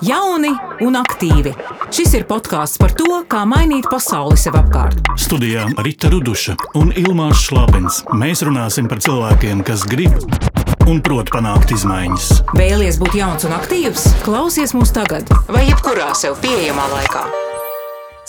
Jauni un aktīvi. Šis ir podkāsts par to, kā mainīt pasauli sev apkārt. Studijā Rita Ruduša un Ilmārs Šlapins. Mēs runāsim par cilvēkiem, kas grib un prot panākt izmaiņas. Vēlies būt jauns un aktīvs? Klausies mūs tagad vai jebkurā sev pieejamā laikā.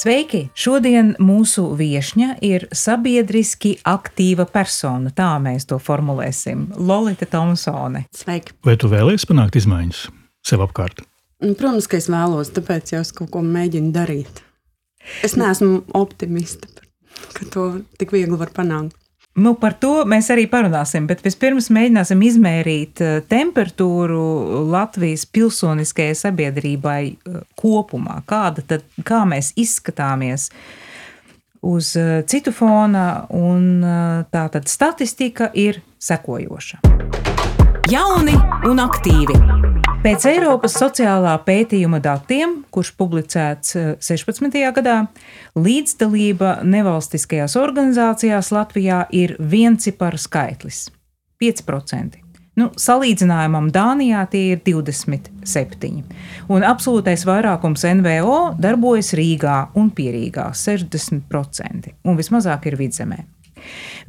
Sveiki! Šodien mūsu viešņa ir sabiedriski aktīva persona. Tā mēs to formulēsim. Lolita Tomsone. Sveiki! Vai tu vēlies panākt izmaiņas sev apkārt? Protams, ka es vēlos, tāpēc jau es kaut ko mēģinu darīt. Es neesmu optimista, ka to tik viegli var panākt. Par to mēs arī parunāsim, bet vispirms mēģināsim izmērīt temperatūru Latvijas pilsoniskajai sabiedrībai kopumā. Kā mēs izskatāmies uz citu fona, un tātad statistika ir sekojoša. Jauni un aktīvi. Pēc Eiropas sociālā pētījuma datiem, kurš publicēts 16. gadā, līdzdalība nevalstiskajās organizācijās Latvijā ir viencipara skaitlis – 5%. Salīdzinājumam Dānijā tie ir 27%. Un absolūtais vairākums NVO darbojas Rīgā un Pierīgā – 60%. Un vismazāk ir Vidzemē.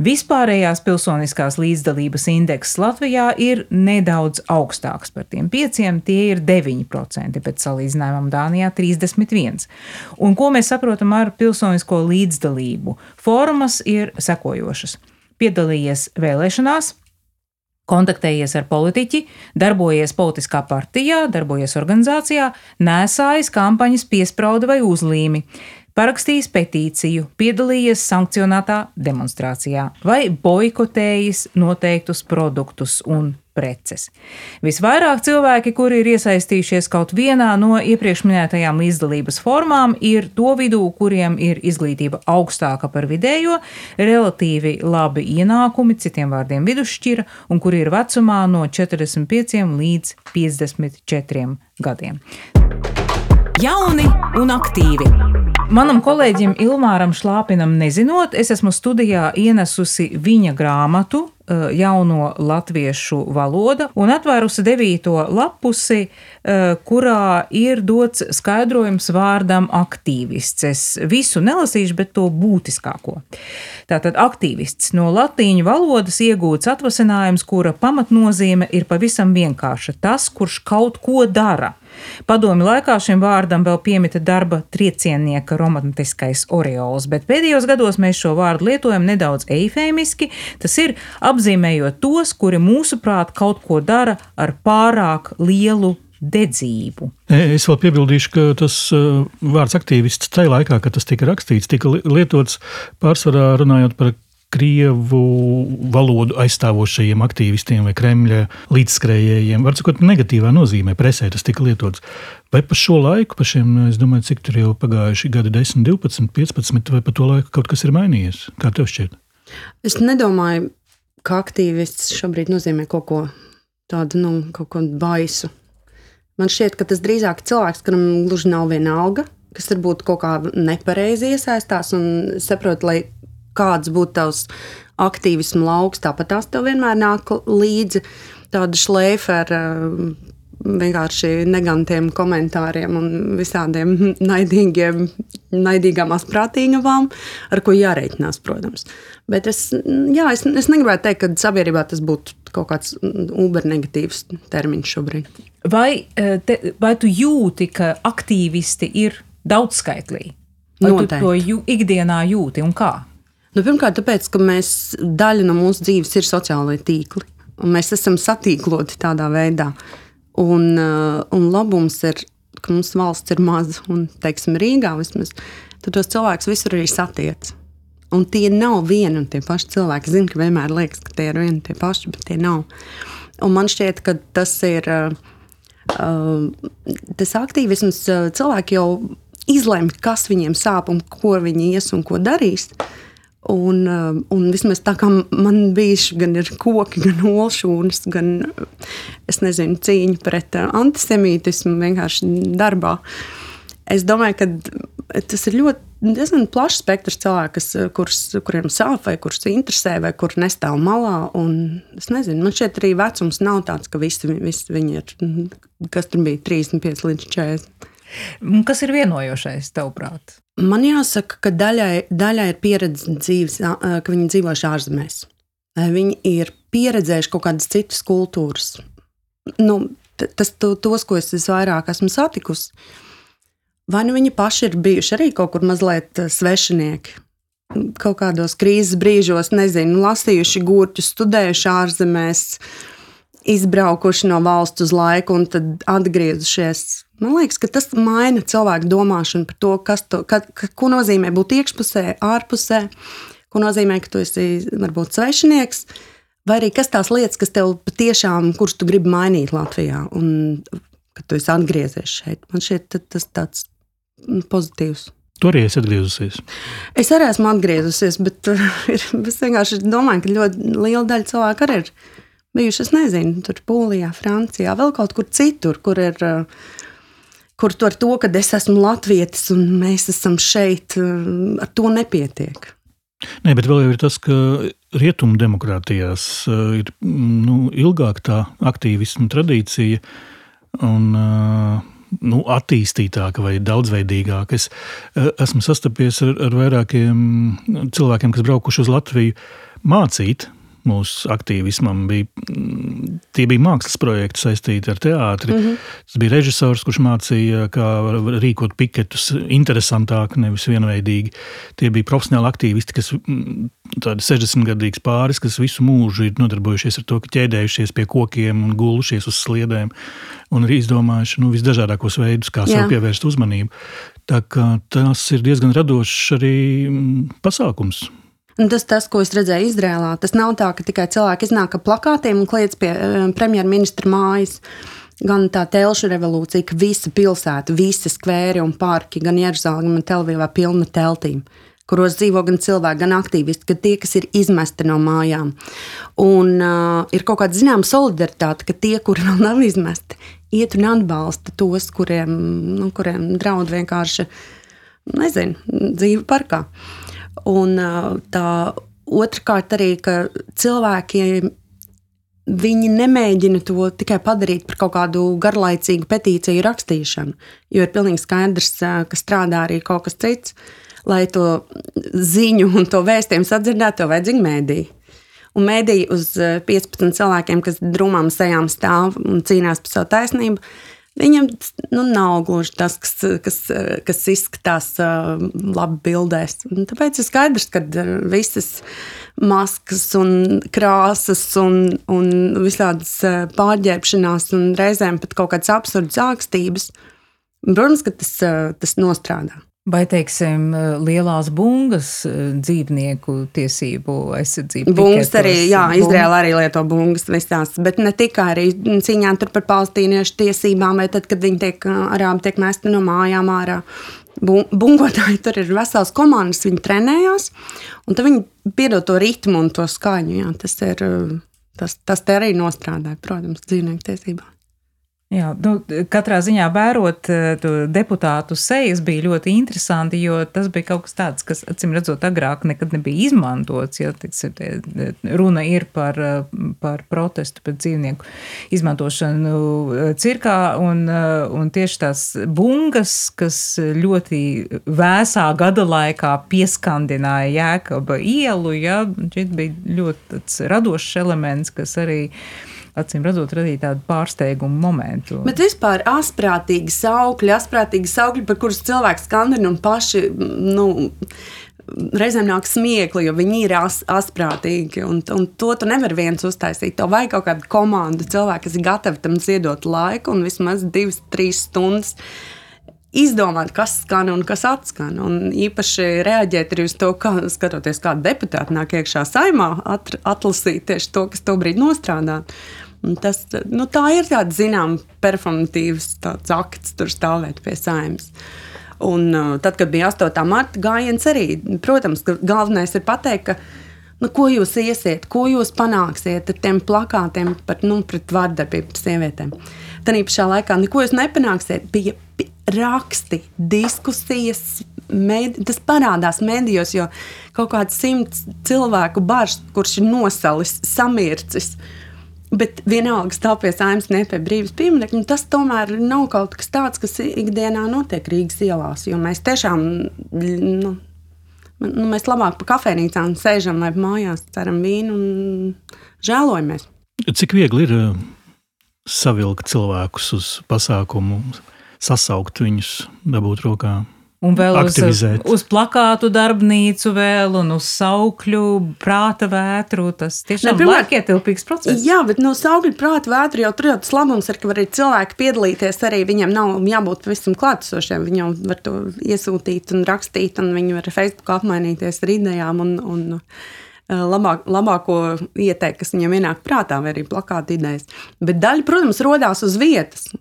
Vispārējās pilsoniskās līdzdalības indekss Latvijā ir nedaudz augstāks par tiem 5%, tie ir 9%, pēc salīdzinājumam Dānijā 31%. Un ko mēs saprotam ar pilsonisko līdzdalību? Formas ir sekojošas. Piedalījies vēlēšanās, kontaktējies ar politiķi, darbojies politiskā partijā, darbojies organizācijā, nēsājis kampaņas piesprauda vai uzlīmi, parakstījis petīciju, piedalījies sankcionētā demonstrācijā vai boikotējis noteiktus produktus un preces. Visvairāk cilvēki, kuri ir iesaistījušies kaut vienā no iepriekš minētajām līdzdalības formām, ir to vidū, kuriem ir izglītība augstāka par vidējo, relatīvi labi ienākumi, citiem vārdiem vidusšķira, un kuri ir vecumā no 45 līdz 54 gadiem. Jauni un aktīvi. Manam kolēģim Ilmāram Šlāpinam nezinot, es esmu studijā ienesusi viņa grāmatu Jauno latviešu valoda un atvērusi 9. lapusi, kurā ir dots skaidrojums vārdam aktīvists. Es visu nelasīšu, bet to būtiskāko. Tātad aktīvists no latīņu valodas iegūts atvasinājums, kura pamatnozīme ir pavisam vienkārša. Tas, kurš kaut ko dara. Padomju laikā šim vārdam vēl piemita darba trieciennieka romantiskais oreols, bet pēdējos gados mēs šo vārdu lietojam nedaudz eifēmiski, tas ir apzīmējot tos, kuri mūsuprāt kaut ko dara ar pārāk lielu dedzību. Es vēl piebildīšu, ka tas vārds aktīvists tajā laikā, kad tas tika rakstīts, tika lietots pārsvarā runājot par Krievu valodu aizstāvošajiem aktīvistiem vai Kremļa līdzskrējējiem. Var sakot, negatīvā nozīmē presē tas tika lietots. Vai pa šo laiku, pa šiem, es domāju, cik tur jau pagājuši gadi 10, 12, 15, vai pa to laiku kaut kas ir mainījies? Kā tev šķiet? Es nedomāju, ka aktīvists šobrīd nozīmē kaut ko tādu, kaut ko baisu. Man šķiet, ka tas drīzāk cilvēks, kuram gluži nav viena alga, kas varbūt kaut kā nepareizi iesaistās un saprot, lai kāds būtu tavs aktīvismu lauks, tāpat tās tev vienmēr nāk līdzi tāda šleifa ar vienkārši negantiem komentāriem un visādiem naidīgām asprātīgavām, ar ko jārēķinās, protams. Bet es negribētu teikt, ka sabiedrībā tas būtu kaut kāds ubernegatīvs termiņš šobrīd. Vai tu jūti, ka aktīvisti ir daudzskaitlīgi? Vai Noteikti. Tu to ikdienā jūti un kā? Pirmkārt, tāpēc, ka daļa no mūsu dzīves ir sociālai tīkli, un mēs esam satīkloti tādā veidā. Un labums ir, ka mums valsts ir maza, un, teiksim, Rīgā vismaz, tad tos cilvēkus visur arī satiec. Un tie nav vieni un tie paši cilvēki. Zinu, ka vienmēr liekas, ka tie ir vieni un tie paši, bet tie nav. Un man šķiet, ka tas ir, tas aktīvisms, cilvēki jau izlemj, kas viņiem sāp un ko viņi ies un ko darīs. Un vismaz tā kā man bijuši gan ir koki, gan olšūnas, gan, es nezinu, cīņa pret antisemītismu vienkārši darbā. Es domāju, ka tas ir ļoti diezgan plašs spektrs cilvēku, kuriem sāp vai kurus interesē vai kur nestāv malā. Un es nezinu, man šķiet arī vecums nav tāds, ka visi viņi ir, kas tur bija 35 līdz 40. Kas ir vienojošais, tavuprāt? Man jāsaka, ka daļai ir pieredze dzīves, ka viņi dzīvojuši ārzemēs. Viņi ir pieredzējuši kaut kādas citas kultūras. Tos, ko es vairāk esmu satikusi, vai nu viņi paši ir bijuši arī kaut kur mazliet svešinieki, kaut kādos krīzes brīžos, nezinu, lasījuši gurķus, studējuši ārzemēs, izbraukuši no valsts uz laiku un tad atgriezušies. Man liekas, ka tas maina cilvēku domāšanu par to, ko nozīmē būt iekšpusē, ārpusē, ko nozīmē, ka tu esi varbūt svešinieks, vai arī kas tās lietas, kas tev patiešām, kurš tu gribi mainīt Latvijā, un kad tu esi atgriezies šeit. Man šķiet, tas tāds pozitīvs. Tu arī esi atgriezusies? Es arī esmu atgriezusies, bet es vienkārši domāju, ka ļoti liela daļa cilvēku arī ir bijuši, es nezinu, tur Polijā, Francijā, vēl kaut kur citur, kur ar to, ka es esmu latvietis un mēs esam šeit, ar to nepietiek. Nē, bet vēl jau ir tas, ka rietumu demokrātijās ir ilgāk tā aktīvismu tradīcija un attīstītāka vai daudzveidīgāka. Es esmu sastapies ar vairākiem cilvēkiem, kas braukuši uz Latviju mācīt. Mūsu aktīvismam tie bija mākslas projekti saistīti ar teātri. Tas bija režisors, kurš mācīja, kā rīkot piketus interesantāk, nevis vienveidīgi. Tie bija profesionāli aktīvisti, kas tādi 60-gadīgs pāris, kas visu mūžu ir nodarbojušies ar to, ka ķēdējušies pie kokiem un gulušies uz sliedēm un ir izdomājuši visdažādākos veidus, kā sev pievērst uzmanību. Tā kā tas ir diezgan radošs arī pasākums. Un tas, ko es redzēju Izrēlā, tas nav tā, ka tikai cilvēki iznāk ar plakātiem un kliedz pie premjerministra mājas. Gan tā telšu revolūcija, ka visa pilsēta, visi skvēri un parki, gan Jeruzaleme un Telvīvā pilna teltīm, kuros dzīvo gan cilvēki, gan aktīvisti, gan tie, kas ir izmesti no mājām. Un ir kaut kāda zināma solidaritāte, ka tie, kuri vēl nav izmesti, iet un atbalsta tos, kuriem draud vienkārši, dzīve parkā. Un tā otrkārt arī, ka cilvēki, viņi nemēģina to tikai padarīt par kaut kādu garlaicīgu petīciju rakstīšanu, jo ir pilnīgi skaidrs, ka strādā arī kaut kas cits, lai to ziņu un to vēstījumu sadzirdētu, to vajadzīgi mēdī. Un mēdī uz 15 cilvēkiem, kas drumām sejām stāv un cīnās par savu taisnību, viņam nav gluži tas, kas izskatās labi bildēs. Un tāpēc ir skaidrs, ka visas maskas un krāsas un visādas pārģērbšanās un reizēm pat kaut kādas absurdas ākstības, protams, ka tas nostrādā. Vai, teiksim, lielās bungas dzīvnieku tiesību aizsardzību? Bungas arī, Izraēla arī lieto bungas visās, bet ne tikai arī cīņā tur par palestīniešu tiesībām, vai tad, kad viņi arābi tiek mesti no mājām ārā. Bungotāji tur ir vesels komandas, viņi trenējās, un tad viņi piedod to ritmu un to skaņu. Jā, tas te arī nostrādāja, protams, dzīvnieku tiesībām. Jā, katrā ziņā vērot deputātu sejas bija ļoti interesanti, jo tas bija kaut kas tāds, kas, acīm redzot, agrāk nekad nebija izmantots. Ja, runa ir par protestu pret dzīvnieku izmantošanu cirkā, un tieši tās bungas, kas ļoti vēsā gada laikā pieskandināja Jēkaba ielu, ja, šeit bija ļoti tāds radošs elements, kas arī acīm redzot, radīja tādu pārsteigumu momentu. Bet vispār asprātīgi saukļi, par kurus cilvēks skandina un paši, reizēm nāk smiekli, jo viņi ir asprātīgi, un to tu nevar viens uztaisīt. Tev vajag kaut kādu komandu cilvēku, kas ir gatavi tam ziedot laiku un vismaz 2-3 stundas izdomāt, kas skan un kas atskan. Un īpaši reaģēt arī uz to, skatoties, kāda deputāta nāk iekšā saimā, atlasīt tieši to, kas to brīdi nostrādā. Un tas, tā ir tāda, zinām, performatīvs tāds akts tur stāvēt pie saimas. Un tad, kad bija 8. marta gājiens arī, protams, ka galvenais ir pateikt, ka ko jūs iesiet, ko jūs panāksiet ar tiem plakātiem pret vardarbību pret sievietēm. Tad pašā laikā neko jūs nepanāksiet, bija raksti, diskusijas, tas parādās medijos, jo kaut kāds 100 cilvēku bars, kurš ir nosalis, samircis, bet vienalga stāv pie Saeimas nepie brīvības pieminekļa, tas tomēr nav kaut kas tāds, kas ikdienā notiek Rīgas ielās, jo mēs tiešām, mēs labāk pa kafejnīcām sēžam vai mājās, ceram vīnu un žēlojamies. Cik viegli ir savilkt cilvēkus uz pasākumu, sasaukt viņus, dabūt rokā? Un vēl aktivizēt. uz plakātu darbnīcu vēl un uz saukļu prāta vētru. Tas tiešām laikietilpīgs process. Jā, bet no saukļu prāta vētru jau tur jau tas labums ir, ka var arī cilvēki piedalīties arī, viņiem nav jābūt pavisam klātesošiem, viņi jau var to iesūtīt un rakstīt, un viņi var Facebook apmainīties ar idejām un labāko ieteikt, kas viņam ienāk prātā, vai arī plakāta idejas. Bet daļa, protams, rodās uz vietas.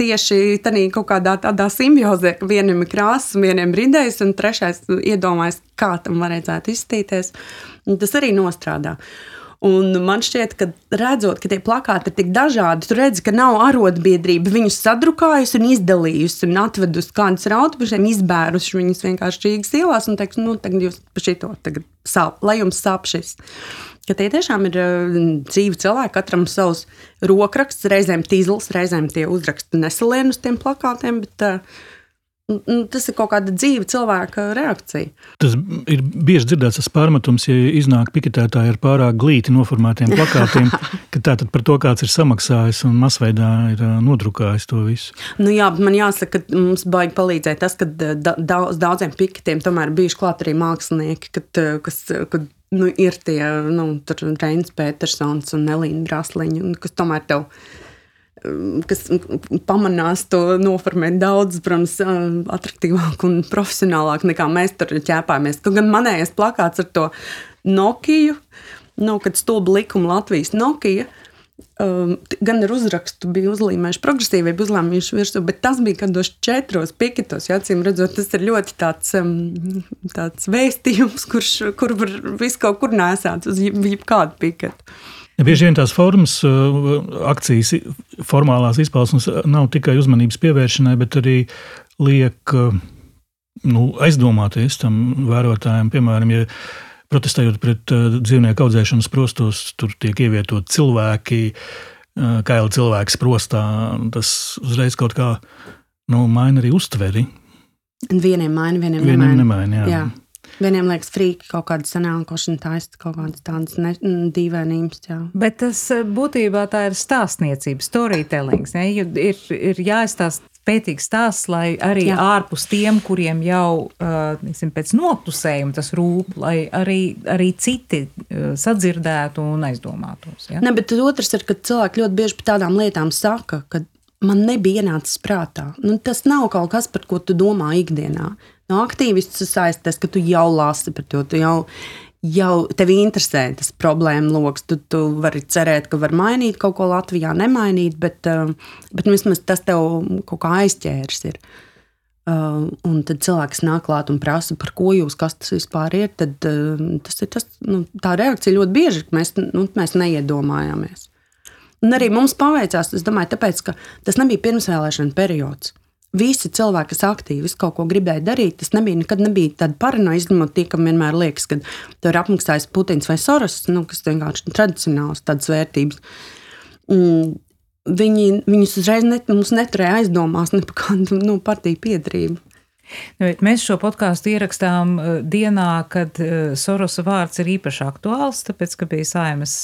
Tieši tādā kaut kādā tādā simbiozē, ka vienam ir krāsas, vienam ir idejas, un trešais iedomājas, kā tam varētu izskatīties. Tas arī nostrādā. Un man šķiet, ka redzot, ka tie plakāti ir tik dažādi, tu redzi, ka nav arotbiedrība viņus sadrukājusi un izdalījusi un atvedusi kādus ar autobušiem, izbēruši viņus vienkārši Rīgas ielās un teiks, tagad jūs pa šito tagad sāp, lai jums sāp šis. Ka tie tiešām ir dzīvi cilvēki, katram savs rokraksts, reizēm tīzls, reizēm tie uzraksti nesalien uz tiem plakātiem, bet tas ir kaut kāda dzīva cilvēka reakcija. Tas ir bieži dzirdēts tas pārmetums, ja iznāk piketētāji ar pārāk glīti noformētiem plakātiem, ka tātad par to kāds ir samaksājis un masveidā ir nodrukājis to visu. Jā, bet man jāsaka, ka mums baigi palīdzēja tas, ka daudziem piketiem tomēr bijuši klāt arī mākslinieki, kas ir tie, Reinis Petersons un Elīna Brasliņa, kas tomēr tev, kas pamanās to noformēt daudz, protams, atraktīvāk un profesionālāk nekā mēs tur ķēpājamies. Kaut gan manējais plakāts ar to Nokiju, kad stulba likuma Latvijas Nokija, gan ar uzrakstu bija uzlīmējuši progresīvību, uzlīmējuši virsū, bet tas bija kādos 4 piketos, acīm redzot, tas ir ļoti tāds vēstījums, kur var visu kaut kur nēsāt uz jebkādu piketu. Bieži vien tās formas, akcijas, formālās izpausmes nav tikai uzmanības pievēršanai, bet arī liek aizdomāties tam vērotājiem. Piemēram, ja protestējot pret dzīvnieku audzēšanas prostos, tur tiek ievietot cilvēki, kaili cilvēki sprostā, tas uzreiz kaut kā maina arī uztveri. Vieniem maina, vieniem nemaina. Jā. Vieniem liekas frīki kaut kāda sanākošana taista, kaut kādas tādas dīvainības. Jā. Bet tas būtībā tā ir stāstniecība, storytellings. Ne? Ir jāizstāst spētīgs stāsts, lai arī ārpus tiem, kuriem jau pēc noklusējuma tas rūp, lai arī citi sadzirdētu un aizdomātos. Ja? Ne, bet otrs ir, ka cilvēki ļoti bieži par tādām lietām saka, ka man nebija ienācis prātā. Tas nav kaut kas, par ko tu domā ikdienā. No aktīvistus saisties, ka tu jau lasi par to, tu jau tevi interesē tas problēma loks, tu vari cerēt, ka var mainīt kaut ko Latvijā, nemainīt, bet vismaz tas tev kaut kā aizķērs ir. Un tad cilvēks nāk klāt un prasa, par ko jūs, kas tas vispār ir, tad tas ir tas, tā reakcija ļoti bieži, ka mēs neiedomājāmies. Un arī mums paveicās, es domāju, tāpēc, ka tas nebija pirmsvēlēšana periods. Visi cilvēki, kas aktīvi kaut ko gribēja darīt, tas nekad nebija tāda paranoja, izņemot tie, kam vienmēr liekas, ka to ir apmaksājis Putins vai Soros, kas vienkārši tradicionāls tādas vērtības. Viņus uzreiz mums neturēja aizdomās ne par kādu partiju piederību. Mēs šo podkāstu ierakstām dienā, kad Sorosa vārds ir īpaši aktuāls, tāpēc, ka bija Saeimas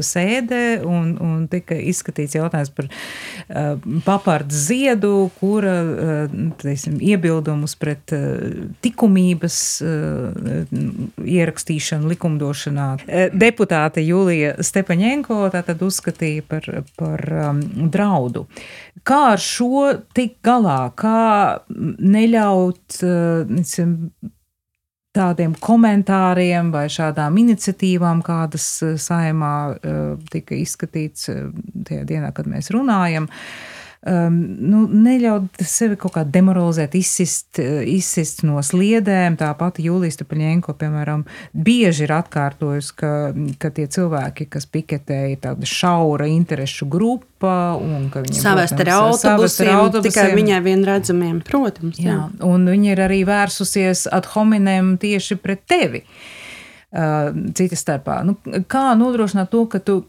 sēde un tika izskatīts jautājums par papardes ziedu, kura iebildumus pret likumības ierakstīšanu likumdošanā. Deputāte Julija Stepaņenko tātad uzskatīja par draudu. Kā ar šo tik galā? Kā neļaut tādiem komentāriem vai šādām iniciatīvām, kādas Saeimā tika izskatīts tajā dienā, kad mēs runājam, neļaut sevi kaut kā demoralizēt, izsist no sliedēm. Tā pati Jūlija Stepaņenko, piemēram, bieži ir atkārtojusi, ka tie cilvēki, kas piketē, ir tāda šaura interešu grupa un ka viņiem, savest ar autobusiem, tikai viņai vienredzamiem, protams. Jā, un viņa ir arī vērsusies ad hominem tieši pret tevi. Cita starpā. Kā nodrošināt to, ka tu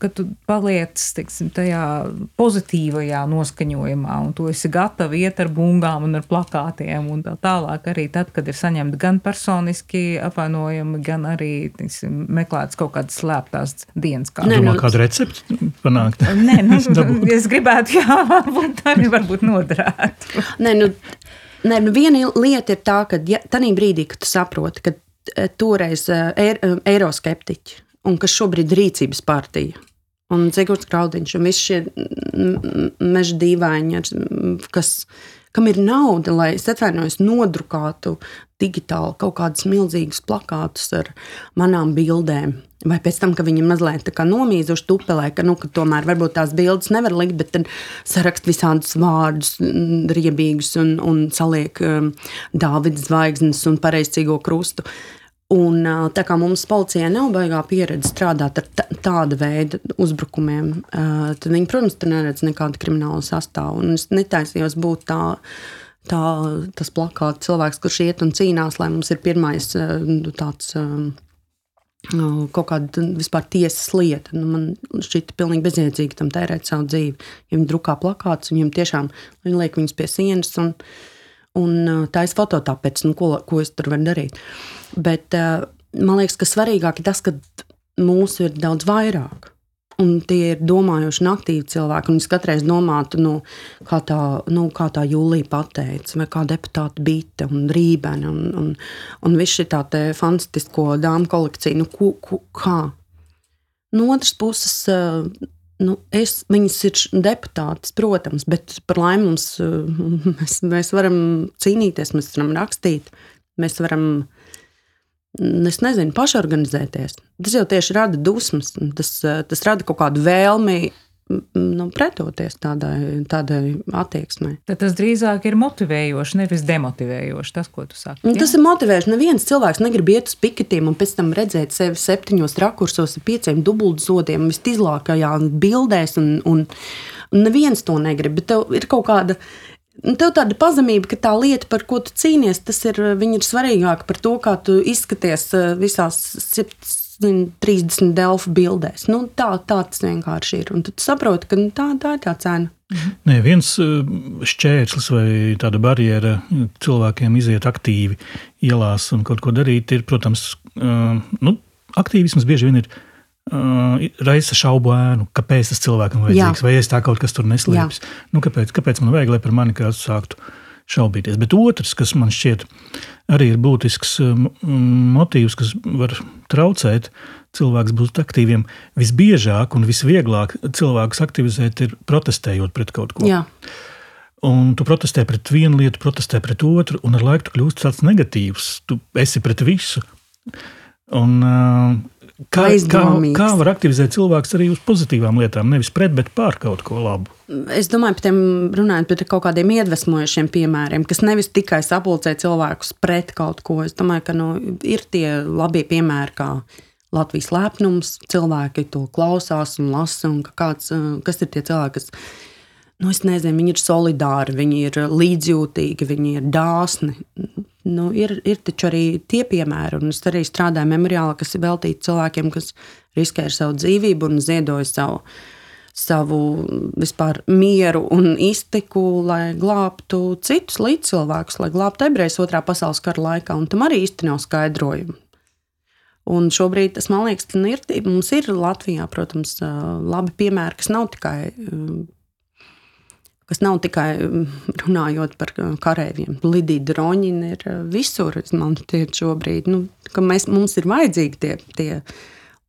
paliec, teiksim, tajā pozitīvajā noskaņojumā un tu esi gatavi iet ar bungām un ar plakātiem un tā tālāk arī tad, kad ir saņemti gan personiski apvainojumi, gan arī, teiksim, meklētas kaut kādas slēptās dienas kārtas. Domā, kādu recepti panākt? Nē, es gribētu, varbūt noderētu. Viena lieta ir tā, ka tanī brīdī, kad tu saproti, ka toreiz eiroskeptiķi un kas šobrīd rīcības partija un Zigorts Kraudiņš un visi šie meža dīvaini, kam ir nauda, lai es atvainojos nodrukātu digitāli kaut kādus milzīgus plakātus ar manām bildēm. Vai pēc tam, ka viņi mazliet tā kā nomīzuši tupelē, ka tomēr varbūt tās bildes nevar likt, bet tad sarakst visādus vārdus riebīgus un saliek Dāvida zvaigznes un pareizcīgo krustu. Un tā kā mums policijai nav baigā pieredze strādāt ar tāda veida uzbrukumiem, tad viņi, protams, tur neredz nekādu kriminālu sastāvu. Un es netaisījos būt tas plakāts cilvēks, kurš iet un cīnās, lai mums ir pirmais tāds kaut kāda vispār tiesas lieta. Man šķita pilnīgi bezjēdzīgi tam tērēt savu dzīvi. Ja viņi drukā plakātus, viņiem tiešām viņi liek viņus pie sienas un taisa fototāpēc, ko es tur varu darīt. Bet man liekas, ka svarīgāk ir tas, ka mūsu ir daudz vairāk. Un tie ir domājoši un aktīvi cilvēki. Un es katreiz domātu, kā tā Jūlija pateica, vai kā deputāta Bite un Rībene un viss šī tā fantastisko dāmu kolekciju. Kā? No otras puses, viņas ir deputātas, protams, bet par laimi mēs varam cīnīties, mēs varam rakstīt, mēs varam pašorganizēties. Tas jau tieši rada dusmas, tas rada kaut kādu vēlmi pretoties tādai attieksmei. Tad tas drīzāk ir motivējoši, nevis demotivējoši, tas, ko tu saki. Ja? Tas ir motivējoši. Neviens cilvēks negrib iet uz piketiem un pēc tam redzēt sevi 7 rakursos ar 5 dubultzodiem, visizlākajā bildēs, un neviens to negrib, bet tev ir kaut kāda tev tāda pazemība, ka tā lieta, par ko tu cīnies, viņa ir svarīgāka par to, kā tu izskaties visās 30 Delfu bildēs. Tā tas vienkārši ir. Un tu saproti, ka tā ir tā cena. Nē, viens šķērslis vai tāda barjera cilvēkiem iziet aktīvi ielās un kaut ko darīt ir, protams, aktīvisms bieži vien ir raisa šaubu ēnu, kāpēc tas cilvēkam vajadzīgs, vai es tā kaut kas tur neslēpjas. Kāpēc man vajag, lai par mani kāds sāktu šaubīties? Bet otrs, kas man šķiet arī ir būtisks motīvs, kas var traucēt cilvēks būt aktīviem, visbiežāk un visvieglāk cilvēkus aktivizēt ir protestējot pret kaut ko. Jā. Un tu protestē pret vienu lietu, protestē pret otru, un ar laiku tu kļūst tāds negatīvs. Tu esi pret visu. Un Kā var aktivizēt cilvēks arī uz pozitīvām lietām, nevis pret, bet pār kaut ko labu? Es domāju, runājot par kaut kādiem iedvesmojošiem piemēriem, kas nevis tikai sapulcē cilvēkus pret kaut ko. Es domāju, ka ir tie labie piemēri, kā Latvijas lepnums, cilvēki to klausās un lasa, un kas ir tie cilvēki, kas, es nezinu, viņi ir solidāri, viņi ir līdzjūtīgi, viņi ir dāsni. Ir taču arī tie piemēri, un es arī strādāju memoriālā, kas ir veltīti cilvēkiem, kas riskē ar savu dzīvību un ziedoja savu vispār mieru un iztiku, lai glābtu citus līdzcilvēkus, lai glābtu ebrejus 2. pasaules kara laikā, un tam arī īsti nav skaidrojumu. Un šobrīd tas, man liekas, mums ir Latvijā, protams, labi piemēri, kas nav tikai runājot par kareiviem. Lidija Droņina ir visur, man šķiet šobrīd, ka mums ir vajadzīgi tie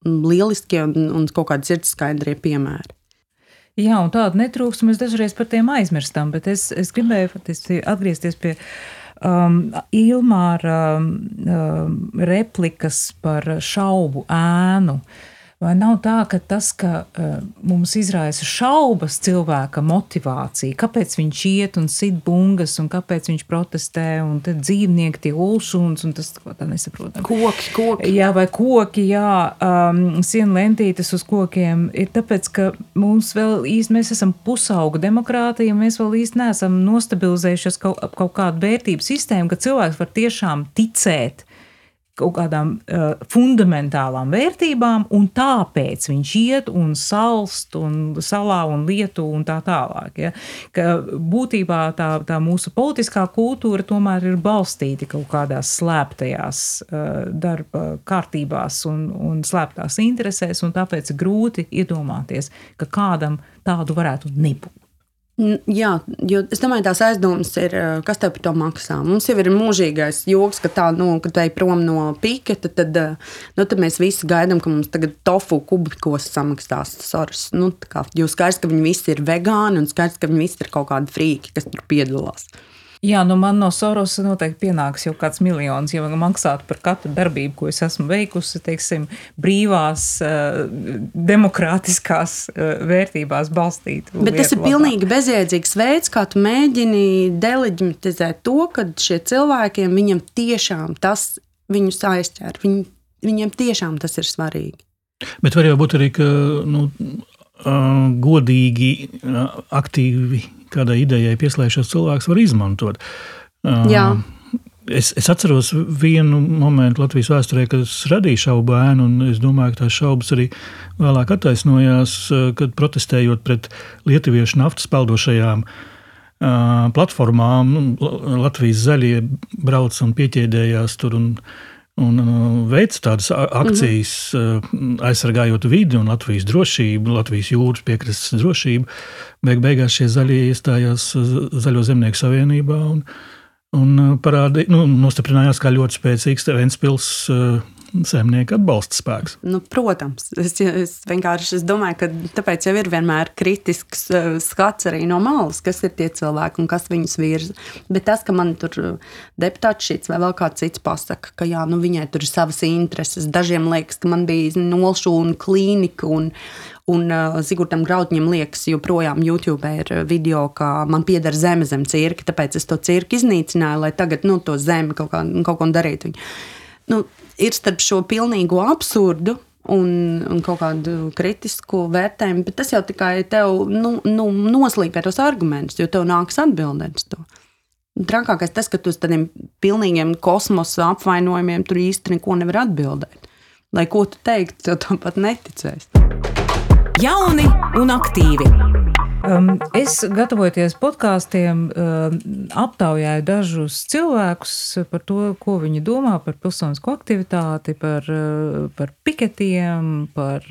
lieliskie un kaut kādi sirdskaidrie piemēri. Jā, un tādu netrūkst, mēs dažreiz par tiem aizmirstam, bet es gribēju atgriezties pie Ilmāra replikas par šaubu ēnu. Vai nav tā, ka tas, ka mums izraisa šaubas cilvēka motivācija, kāpēc viņš iet un sit bungas, un kāpēc viņš protestē, un tad dzīvnieki tie ulšuns, un tas, ko tā nesaprotam. Koki. Jā, vai koki, sienu lentītes uz kokiem, ir tāpēc, ka mums vēl īsti, mēs esam pusauga demokrātija, un mēs vēl īsti neesam nostabilizējušies kaut kādu vērtību sistēmu, ka cilvēks var tiešām ticēt kaut kādām fundamentālām vērtībām, un tāpēc viņš iet un salst un salā un lietu un tā tālāk. Ja? Ka būtībā tā mūsu politiskā kultūra tomēr ir balstīta kaut kādās slēptajās darba kārtībās un slēptās interesēs, un tāpēc grūti iedomāties, ka kādam tādu varētu nebūt. Jā, jo es domāju, tās aizdomas ir, kas tev par to maksā. Mums jau ir mūžīgais joks, ka kad ej prom no piketa, tad mēs visi gaidām, ka mums tagad tofu kubikos samaksās Soros. Jo skaidrs, ka viņi visi ir vegāni un skaidrs, ka viņi visi ir kaut kādi frīki, kas tur piedalās. Jā, man no Soros noteikti pienāks jau kāds miljons, ja maksātu par katru darbību, ko es esmu veikusi, teiksim, brīvās, demokrātiskās vērtībās balstīt. Bet tas ir pilnīgi bezjēdzīgs veids, kā tu mēģini deleģimatizēt to, ka šie cilvēkiem, viņam tiešām tas viņus aizķer. Viņiem tiešām tas ir svarīgi. Bet var jau būt arī, ka godīgi, aktīvi kādai idejai pieslēgšos cilvēks var izmantot. Jā. Es atceros vienu momentu Latvijas vēsturē, kad es radīju šaubu ēnu, un es domāju, ka tās šaubas arī vēlāk attaisnojās, kad protestējot pret lietuviešu naftas peldošajām platformām, Latvijas zaļie brauc un pieķēdējās tur un veic tādas akcijas, aizsargājot vidi un Latvijas drošību, Latvijas jūras piekrastes drošību. Beigās šie zaļie iestājās Zaļo zemnieku savienībā un nostiprinājās kā ļoti spēcīgs Ventspils saimnieku atbalsta spēks. Protams, es vienkārši domāju, ka tāpēc jau ir vienmēr kritisks skats arī no malas, kas ir tie cilvēki un kas viņus virza. Bet tas, ka man tur deputāts šits vai vēl kāds cits pasaka, ka jā, viņai tur ir savas intereses. Dažiem liekas, ka man bija nolšūna klīnika un Zigurtam Graudņam liekas, joprojām YouTube ir video, ka man pieder zeme zem cirka, tāpēc es to cirku iznīcināju, lai tagad to zemi kaut ko darītu. Ir starp šo pilnīgo absurdu un kaut kādu kritisku vērtējumu, bet tas jau tikai tev noslīpē tos argumentus, jo tev nāks atbildēt uz to. Trakākais tas, ka tu uz tādiem pilnīgiem kosmosa apvainojumiem tur īsti neko nevar atbildēt. Lai ko tu teiktu, tev tāpat neticēs. Jauni un aktīvi. Es, gatavojoties podkāstiem, aptaujāju dažus cilvēkus par to, ko viņi domā par pilsonisko aktivitāti, par piketiem, par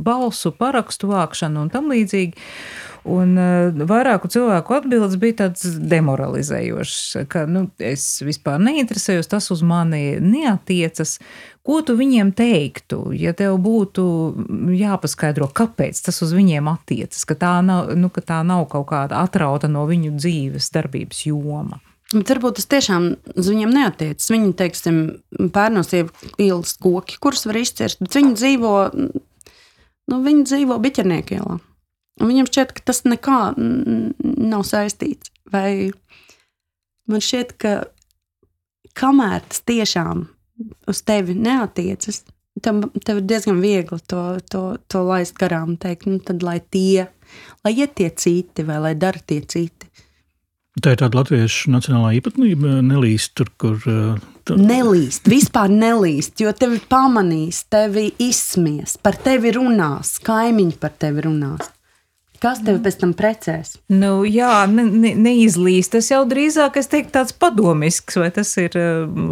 balsu parakstu vākšanu un tam līdzīgi. Un vairāku cilvēku atbildes bija tāds demoralizējošs, ka es vispār neinteresējos, tas uz mani neatiecas. Ko tu viņiem teiktu, ja tev būtu jāpaskaidro, kāpēc tas uz viņiem attiecas, ka tā nav kaut kāda atrauta no viņu dzīves darbības joma? Bet varbūt tas tiešām uz viņiem neatiecas. Viņi, teiksim, Pērnos ielas koki, kurus var izcirst, bet viņi dzīvo Biķernieku ielā. Un viņam šķiet, ka tas nekā nav saistīts. Vai man šķiet, ka kamēr tas tiešām uz tevi neatiecas, tev ir diezgan viegli to laist garām, teikt, tad lai iet tie citi vai lai dara tie citi. Tā ir tāda latviešu nacionālā īpatnība, nelīst tur, kur... Nelīst, vispār nelīst, jo tevi pamanīs, tevi izsmies, par tevi runās, kaimiņi par tevi runās. Kas tevi pēc tam precēs? Neizlīst. Tas jau drīzāk, es teiktu, tāds padomisks, vai tas ir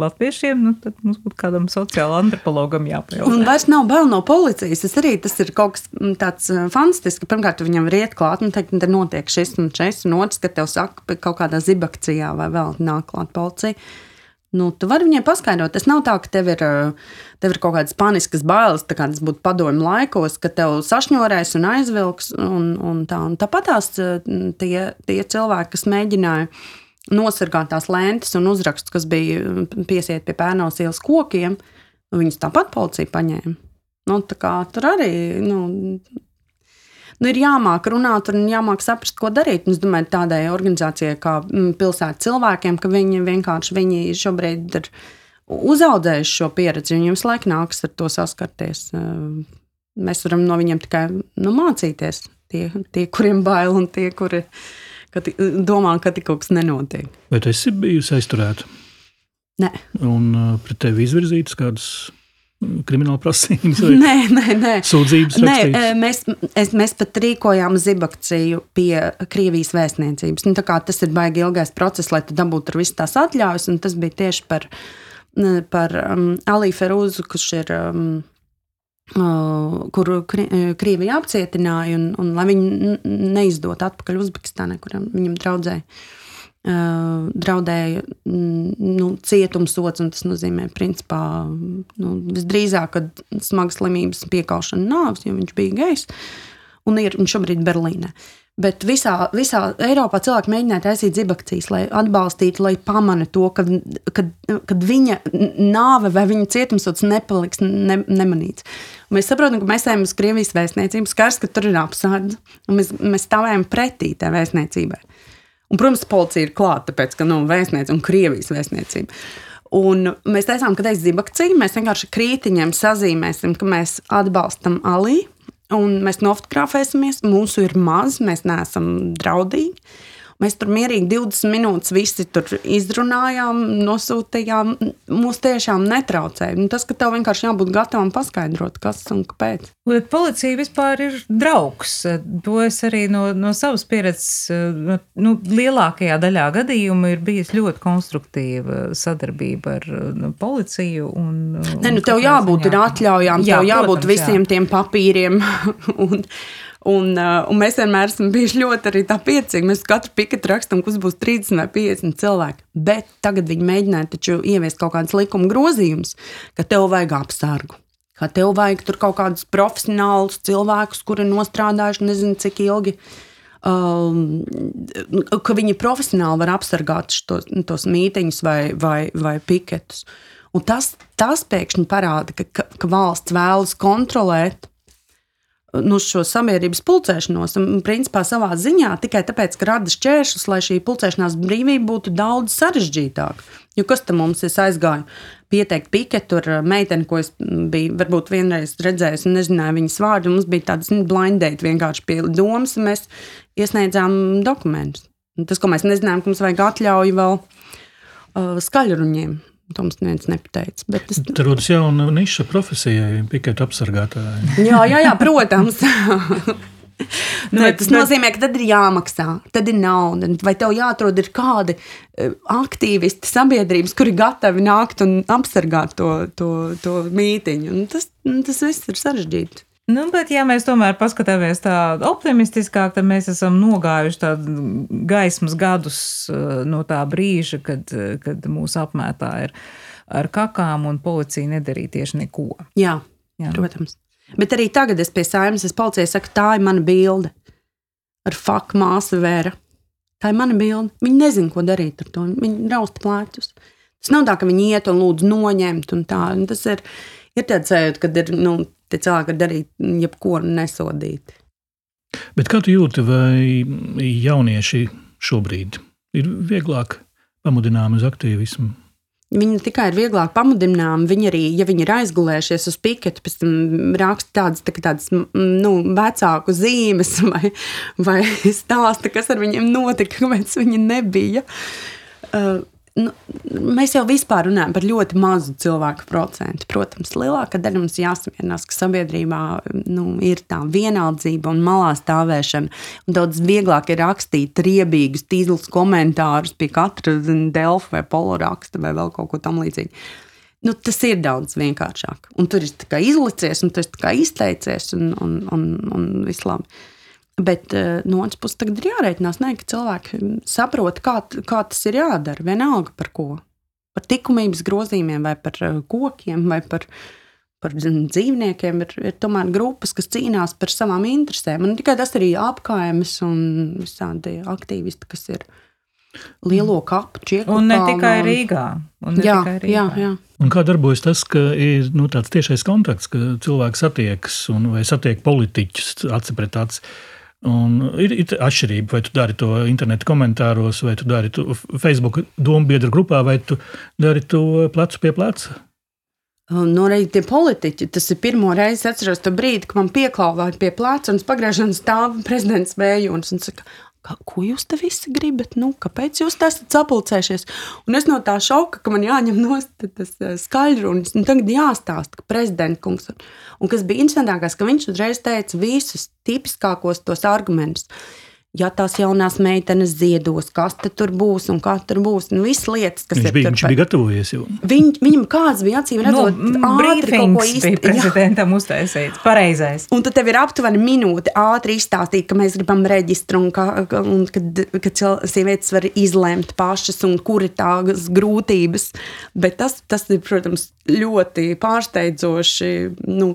latviešiem, tad mums būtu kādam sociāla antropologam jāpajautā. Un vairs nav bail no policijas, tas ir kaut kas tāds fantastisks. Pirmkārt, viņam var iet klāt, teikt, te notiek šis un šis, un otrs, ka tev saka kaut kādā zibakcijā vai vēl nāk klāt policija. Tu vari viņai paskaidrot. Tas nav tā, ka tev ir kaut kādas paniskas bailes, tā kā tas būtu padomju laikos, ka tev sašņorēs un aizvilks un tā. Un tāpatās tie cilvēki, kas mēģināja nosargāt tās lentes un uzrakstus, kas bija piesiet pie Pērnos ielas kokiem, viņus tāpat policija paņēma. Tā kā tur arī, ir jāmāk runāt un jāmāk saprast, ko darīt. Un es domāju, tādai organizācijai kā pilsētas cilvēkiem, ka viņi šobrīd ir uzaudzējuši šo pieredzi, viņiem visu laiku nāks ar to saskarties. Mēs varam no viņiem tikai mācīties. Tie, kuriem bail un tie, kuri domā, ka kaut kas nenotiek. Vai tu esi bijusi aizturēta? Nē. Un pret tevi izvirzītas kādas krimināla prasības? Nē. Sūdzības rakstītas? Nē, mēs pat rīkojām zibakciju pie Krievijas vēstniecības. Tā kā tas ir baigi ilgais process, lai tu dabūtu ar visu tās atļaujas, un tas bija tieši par Alī Ferūzu, kurš ir, kuru Krievija apcietināja, un lai viņu neizdot atpakaļ Uzbekistānai, kuram viņam draudēja cietumsods, un tas nozīmē, principā, visdrīzāk, kad smagas slimības piekaušana nāves, jo viņš bija gejs, un šobrīd Berlīnē. Bet visā Eiropā cilvēki mēģināja taisīt zibakcijas, lai atbalstītu, lai pamana to, kad viņa nāve vai viņa cietumsods nepaliks nemanīts. Un mēs saprotam, ka mēs ejam uz Krievijas vēstniecību, skars, ka tur ir apsardze, un mēs stāvējam pretī tai vēstniecībai. Un, protams, policija ir klāta, tāpēc, ka vēstniecība un Krievijas vēstniecība. Un mēs teicām, ka tā ir zibakcija, mēs vienkārši krītiņiem sazīmēsim, ka mēs atbalstam Alī, un mēs nofotografēsimies, mūsu ir maz, mēs neesam draudīgi. Mēs tur mierīgi 20 minūtes visi tur izrunājām, nosūtījām, mūs tiešām netraucēja. Tas, ka tev vienkārši jābūt gatavam paskaidrot, kas un kāpēc. Bet policija vispār ir draugs. To es arī no savas pieredzes, lielākajā daļā gadījumu ir bijis ļoti konstruktīva sadarbība ar policiju. Tev jābūt ir atļaujām, tev jābūt visiem tiem papīriem un mēs vienmēr esam bijuši ļoti arī tā priecīgi. Mēs katru piketu rakstam, kas būs 30 vai 50 cilvēki. Bet tagad viņi mēģināja taču ieviest kaut kādas likuma grozījumus, ka tev vajag apsargu. Ka tev vajag tur kaut kādus profesionālus cilvēkus, kuri nostrādājuši nezinu cik ilgi, ka viņi profesionāli var apsargāt tos mītiņus vai piketus. Un tas pēkšņi parāda, ka valsts vēlas kontrolēt šo sabiedrības pulcēšanos un principā savā ziņā tikai tāpēc, ka rada šķēršļus, lai šī pulcēšanās brīvība būtu daudz sarežģītāka. Jo kas tam mums es aizgāju pieteikt piketu ar meiteni, ko es biju varbūt vienreiz redzējis un nezināju viņas vārdu, mums bija tāds blind date vienkārši pie domas, un mēs iesniedzām dokumentus. Un tas, ko mēs nezinājām, ka mums vajag atļauju vēl skaļruņiem. To mums neviens nepateica. Te rodas jauna niša profesijai, piketu apsargātāji. Jā, protams. Tas nozīmē, ka tad ir jāmaksā, tad ir nauda. Vai tev jāatrod ir kādi aktīvisti sabiedrības, kuri gatavi nākt un apsargāt to mītiņu. Un tas viss ir sarežģīti. Bet ja mēs tomēr paskatāmies tā optimistiskāk, tad mēs esam nogājuši tādu gaismas gadus no tā brīža, kad mūs apmētā ir ar kakām un policija nedarīja tieši neko. Jā, protams. Bet arī tagad es pie Saeimas, policijai saku, tā ir mana bilde ar fuck māsu Vera. Tā ir mana bilde. Viņi nezin, ko darīt ar to. Viņi rausta plēķus. Tas nav tā, ka viņi iet un lūdzu noņemt un tā. Un tas ir tāds sajūta, kad ir, tie cilvēki var darīt jebko nesodīt. Bet kā tu jūti, vai jaunieši šobrīd ir vieglāk pamudināmi uz aktīvismu? Viņi tikai ir vieglāk pamudināmi, viņi arī, ja viņi ir aizgulējušies uz piketu, pēc tam raksta tādas vecāku zīmes vai stāsta, kas ar viņiem notika, kāpēc viņi nebija. Mēs jau vispār runājam par ļoti mazu cilvēku procentu. Protams, lielākā daļa mums jāsamierinās, ka sabiedrībā ir tā vienaldzība un malā stāvēšana. Un daudz vieglāk ir rakstīt riebīgus, tīzlus komentārus pie katra Delfa vai Polo raksta vai vēl kaut ko tam līdzīgi. Tas ir daudz vienkāršāk. Un tur ir tā kā izlicies un tu esi tā kā izteicies un viss labi. Bet no otras puses tagad ir jārēķinās, ka cilvēki saprot, kā tas ir jādara, vienalga par ko. Par likumības grozījumiem vai par kokiem vai par dzīvniekiem ir tomēr grupas, kas cīnās par savām interesēm. Un tikai tas arī apkaimes un visādi aktīvisti, kas ir. lielo kapu Čieku Un ne kalnu. tikai Rīgā. Jā. Un kā darbojas tas, ka ir tāds tiešais kontakts, ka cilvēks satiekas vai satiek politiķus aci pret aci? Un ir atšķirība, vai tu dari to internetu komentāros, vai tu dari to Facebook dombiedru grupā, vai tu dari to plecu pie pleca? Arī tie politiķi, tas ir pirmo reizi, atceros to brīdi, ka man pieklāvāja pie pleca un pagriezšanas stāv prezidents Vējons un saka, ko jūs te visi gribat? Kāpēc jūs te esat sapulcējušies? Un es no tā šoka, ka man jāņem nost tas skaļrunis, un tagad jāstāsta, ka prezidenta kungs. Un kas bija interesantākais, ka viņš uzreiz teica visus tipiskākos tos argumentus. Ja tās jaunās meitenes ziedos, kas te tur būs un kā tur būs, un visas lietas, kas viņš bija gatavojies jau. Viņam kāds bija acīm redzot, ātri kaut ko īsti. Prezidentam uztaisīt, pareizais. Un tad tev ir aptuveni minūte ātri izstāstīt, ka mēs gribam reģistru un kad sievietes var izlemt pašas un kur ir tās grūtības. Bet tas ir, protams, ļoti pārsteidzoši,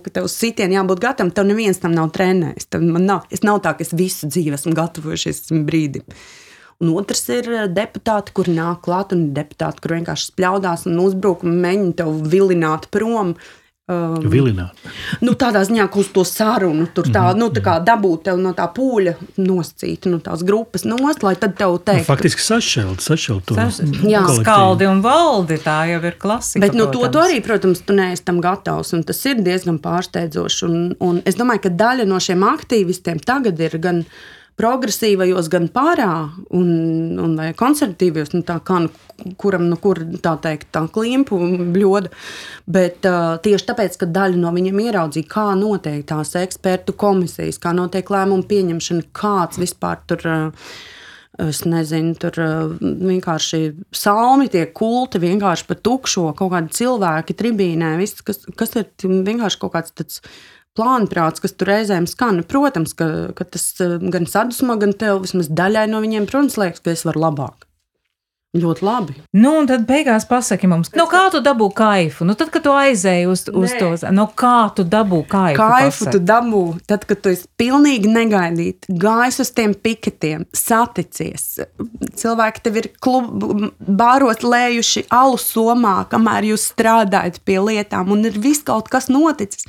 ka tev sitieni jābūt gatavam, tev neviens tam nav trenējis. Es nav tā, ka es visu dzīvi esmu gatavojušies brīdim. Un otrs ir deputāti, kuri nāk klāt, un deputāti, kur vienkārši spļaudās un uzbruk un mēģina tev vilināt prom. Vilināt. Tādā ziņā, ka uz to sarunu, tur tā kā dabūt tev no tā pūļa noscīt, no tās grupas nost, lai tad tev teikt. Faktiski sašķelt to kolektīvu. Skaldi un valdi, tā jau ir klasika. Bet to arī, protams, tu neesi tam gatavs, un tas ir diezgan pārsteidzoši. Un es domāju, ka daļa no šiem aktīvistiem tagad ir gan progresīvajos, gan pārā un vai konservatīvajos, kuram, kur tā teikt, tā klimpu bļoda, bet tieši tāpēc, ka daļa no viņiem ieraudzīja, kā notiek tās ekspertu komisijas, kā notiek lēmumu pieņemšana, kāds vispār tur, es nezinu, tur vienkārši salmi tiek kulti, vienkārši pa tukšo, kaut kādi cilvēki tribīnē, viss, kas ir vienkārši kaut kāds tāds plānprāts, kas tur reizēm skan. Protams, ka tas gan sadusmo, gan tev vismaz daļai no viņiem, protams, liekas, ka es varu labāk. Ļoti labi. Un tad beigās pasaki mums, kā tu dabū kaifu? Tad, kad tu aizēji uz to, kā tu dabū kaifu? Kaifu tu dabū, tad, kad tu esi pilnīgi negaidīt, gājis uz tiem piketiem, saticies. Cilvēki tev ir bāros lējuši alu somā, kamēr jūs strādājat pie lietām, un ir viss kaut kas noticis.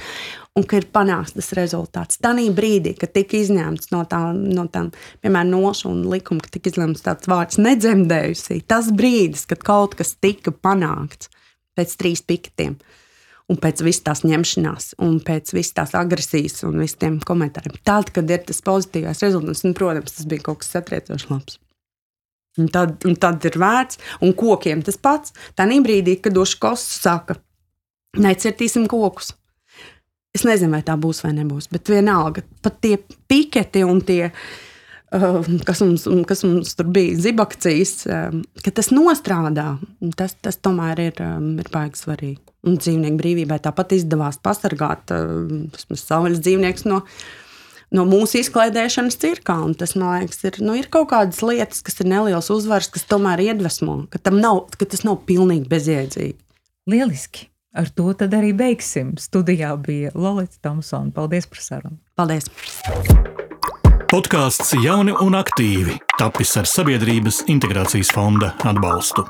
Un ka ir panāks tas rezultāts. Tanī brīdī, kad tika izņemts no tām, piemēram, nošu un likuma, ka tika izlemts tāds vārds nedzemdējusī, tas brīdis, kad kaut kas tika panākts pēc 3 piketiem un pēc viss tās ņemšanās un pēc viss tās agresijas un viss tiem komentāriem. Tad, kad ir tas pozitīvais rezultāts, un, protams, tas bija kaut kas satriecoši labs. Un tad ir vērts, un kokiem tas pats. Tanī brīdī, kad Oškos saka, necirtīsim kokus. Es nezinu, vai tā būs vai nebūs, bet vienalga, pat tie piketi un tie, kas mums tur bija, zibakcijas, ka tas nostrādā, tas tomēr ir baigi svarīgi. Un dzīvnieku brīvībai tāpat izdevās pasargāt savvaļas dzīvnieks no mūsu izklaidēšanas cirkā, un tas, man liekas, ir kaut kādas lietas, kas ir neliels uzvars, kas tomēr iedvesmo, ka tas nav pilnīgi bezjēdzīgi. Lieliski! Ar to tad arī beigsim. Studijā bija Lolita Tomsona. Paldies par sarunu. Paldies. Podcasts Jauni un aktīvi tapis ar Sabiedrības integrācijas fonda atbalstu.